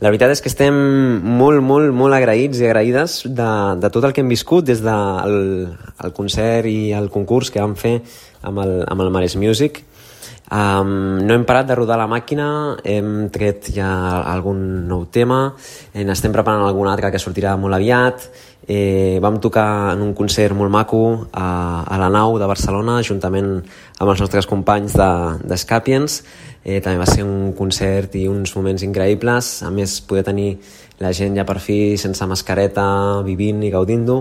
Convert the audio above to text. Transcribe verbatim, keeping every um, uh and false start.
La veritat és que estem molt, molt, molt agraïts i agraïdes de, de tot el que hem viscut des del el concert i el concurs que vam fer amb el, amb el Mares Music. Um, no hem parat de rodar la màquina, hem tret ja algun nou tema, eh, n'estem preparant algun altre que sortirà molt aviat. Eh, vam tocar en un concert molt maco a, a la Nau de Barcelona juntament amb els nostres companys de, de Scapiens. Eh, també va ser un concert i uns moments increïbles, a més poder tenir la gent ja per fi sense mascareta vivint i gaudint-ho.